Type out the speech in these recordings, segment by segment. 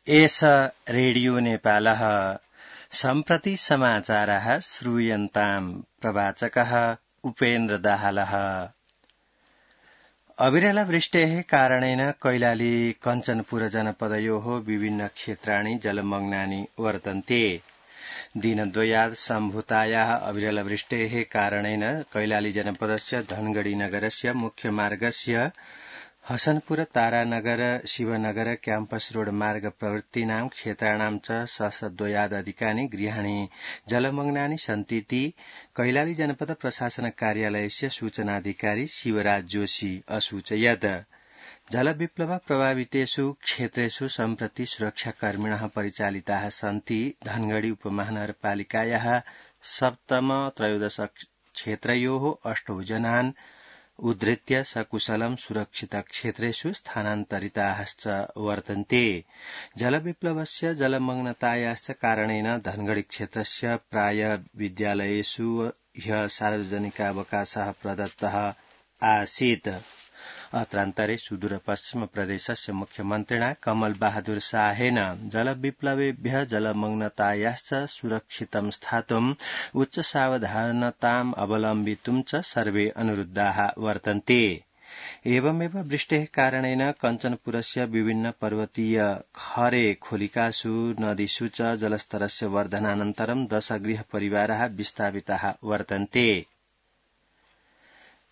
एष रेडियो नेपालः सम्प्रति समाचारः श्रूयन्ताम् प्रवाचकः उपेन्द्र दाहालः। अविरलवृष्टेः कारणेन कैलाली कञ्चनपुर जनपदयोः विभिन्न क्षेत्राणि जलमग्नानि वर्तन्ते। दिनद्वयात् सम्भूतायाः अविरलवृष्टेः कारणेन कैलाली जनपदस्य धनगढ़ी नगरस्य मुख्यमार्गस्य हसनपुर तारानगर शिवनगर क्याम्पस रोड मार्ग प्रवृत्तीनां क्षेत्राणां च सहस्रद्वयादधिकानि गृहाणि जलमग्नानि सन्तीति कैलाली जनपद प्रशासन कार्यालयस्य सूचनाधिकारी शिवराज जोशी असूचयत्। जलविप्लव प्रभावितेषु क्षेत्रेषु सम्प्रति सुरक्षाकर्मिणः परिचालिताः सन्ति। धनगढ़ी उपमहानगरपालिकायाः सप्तम त्रयोदश क्षेत्रयोः 8 जनान् उद्धृत्य सकुशलं सुरक्षित क्षेत्रेषु स्थानान्तरिताश्च वर्तन्ते। जलविप्लवस्य जलमग्नतायाश्च कारणेन धनगढ़ी क्षेत्रस्य प्राय विद्यालयेषु ह्यः सार्वजनिकावकाशः प्रदत्तः आसीत्। अत्रान्तरे सुदूरपश्चिम प्रदेशस्य मुख्यमन्त्रिणा कमल बहादुर शाहेन जलविप्लवेभ्यः जलमग्नतायाश्च सुरक्षितं स्थातुम् उच्च सावधानताम् अवलम्बितुं च सर्वे अनुरुद्धाः वर्तन्ते। एवमेव वृष्टेः कारणेन कञ्चनपुरस्य विभिन्न पर्वतीय खरे खोलिकासु नदीषु च जलस्तरस्य वर्धनानन्तरं 10 गृहपरिवाराः विस्थापिताः वर्तन्ते।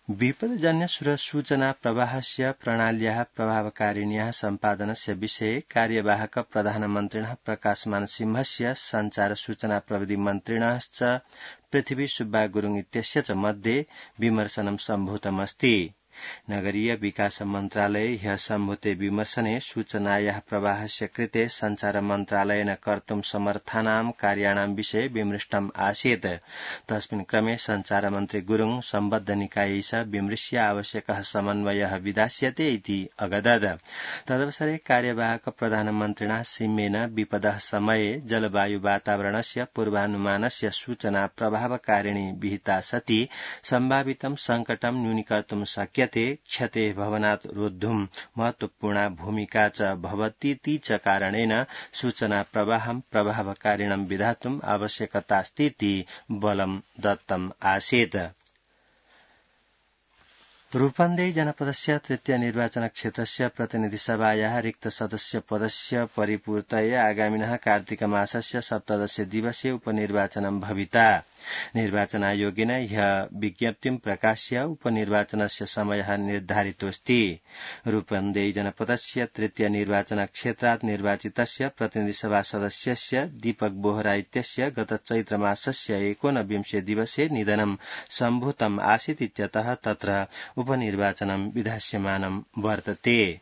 विपदजन्य सूचना प्रवाहस्य प्रणाल्याः प्रभावकारिण्याः सम्पादनस्य विषये कार्यवाहक प्रधानमन्त्रिणः प्रकाशमान सिंहस्य संचार सूचना प्रविधि मन्त्रिणश्च पृथ्वी सुब्बा गुरुङ इत्यस्य च मध्ये विमर्शनं सम्भूतमस्ति। नगरीय विकास मन्त्रालये ह्यः सम्भूते विमर्शने सूचनायाः प्रवाहस्य कृते संचार मन्त्रालयेन कर्तुं समर्थानां कार्याणां विषये विमृष्टम् आसीत्। तस्मिन् क्रमे संचार मन्त्री गुरुङ सम्बद्ध निकायै सह विमृश्य आवश्यकः समन्वयः विधास्यते इति अगदत्। तदवसरे कार्यवाहक प्रधानमन्त्रिणा सिंहेन विपदः समये जलवायु वातावरणस्य पूर्वानुमानस्य सूचना प्रभावकारिणी विहिता सति सम्भावितं संकटं न्यूनीकर्तुं शक्यते। क्षतेः भवनात् रोद्धुं महत्वपूर्णा भूमिका च भवतीति च कारणेन सूचना प्रवाहं प्रभावकारिणं विधातुम् आवश्यकतास्तीति बलं दत्तम् आसीत्। रूपन्देही जनपदस्य तृतीय निर्वाचन क्षेत्रस्य प्रतिनिधिसभायाः रिक्त सदस्य पदस्य परिपूर्तये आगामिनः कार्तिक मासस्य 17 दिवसे उपनिर्वाचनं भविता। निर्वाचन आयोगेन ह्यः विज्ञप्तिं प्रकाश्य उपनिर्वाचनस्य समयः निर्धारितोऽस्ति। रूपन्देही जनपदस्य तृतीय निर्वाचन क्षेत्रात् निर्वाचितस्य प्रतिनिधिसभा सदस्यस्य दीपक बोहरा इत्यस्य गत चैत्रमासस्य 19 दिवसे निधनं सम्भूतम् आसीत् इत्यतः तत्र उपनिर्वाचनं विधास्यमानं वर्तते।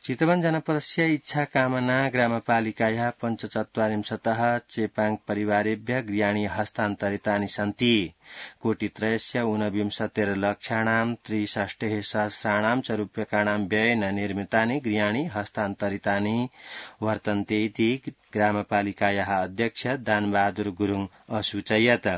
चितवन जनपदस्य इच्छाकामना ग्रामपालिकायाः 45 चेपाङ परिवारेभ्यः गृहाणि हस्तान्तरितानि सन्ति। कोटित्रयस्य 69 लक्षाणां 63 सहस्राणां च रूप्यकाणां व्ययेन निर्मितानि गृहाणि हस्तान्तरितानि वर्तन्ते इति ग्रामपालिकायाः अध्यक्ष दानबहादुर गुरुङ असूचयत्।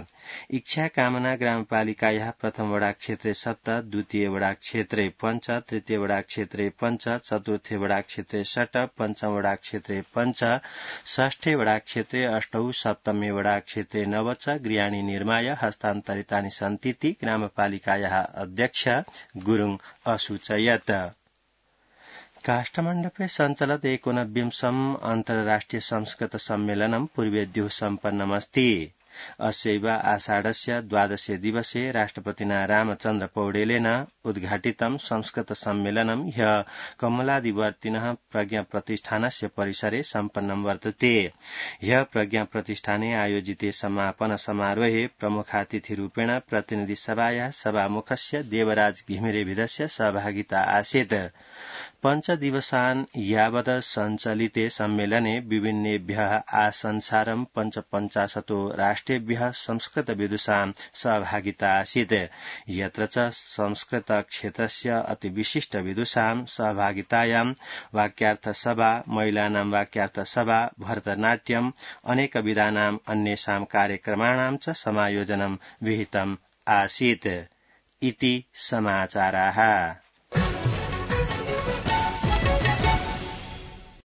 इच्छाकामना ग्रामपालिकायाः प्रथम वडा क्षेत्रे 7, द्वितीय वडा क्षेत्रे 5, तृतीय वडा क्षेत्रे 5, चतुर्थ वडा क्षेत्रे 6, पंचम वडा क्षेत्रे 5, षष्ठे वडा क्षेत्रे 8, सप्तमे वडा क्षेत्रे 9 च गृहाणि निर्माय हस्तान्तरितानि सन्तीति ग्रामपालिकायाः अध्यक्ष गुरुङ असूचयत्। काष्ठमण्डपे सञ्चलत् 89 अन्तर्राष्ट्रिय संस्कृत सम्मेलनं पूर्वेद्युः सम्पन्नमस्ति। अस्यैव आषाढस्य 12 दिवसे राष्ट्रपतिना रामचन्द्र पौडेलेन उद्घाटितं संस्कृत सम्मेलनं ह्यः कमलादिवर्तिनः प्रज्ञा प्रतिष्ठानस्य परिसरे सम्पन्नं वर्तते। ह्यः प्रज्ञा प्रतिष्ठाने आयोजिते समापन समारोहे प्रमुखातिथिरूपेण प्रतिनिधिसभायाः सभामुखस्य देवराज घिमिरेभिदस्य सहभागिता आसीत्। 5 दिवसान् यावत् सञ्चलिते सम्मेलने विभिन्नेभ्यः आसंसारं 55 राष्ट्रेभ्यः संस्कृत विदुषां सहभागिता आसीत्। यत्र च संस्कृत क्षेत्रस्य अतिविशिष्ट विदुषां सहभागितायां वाक्यार्थसभा, महिलानां वाक्यार्थसभा, भरतनाट्यम्, अनेकविधानाम् अन्येषां कार्यक्रमाणां च समायोजनं विहितम् आसीत् इति समाचाराः।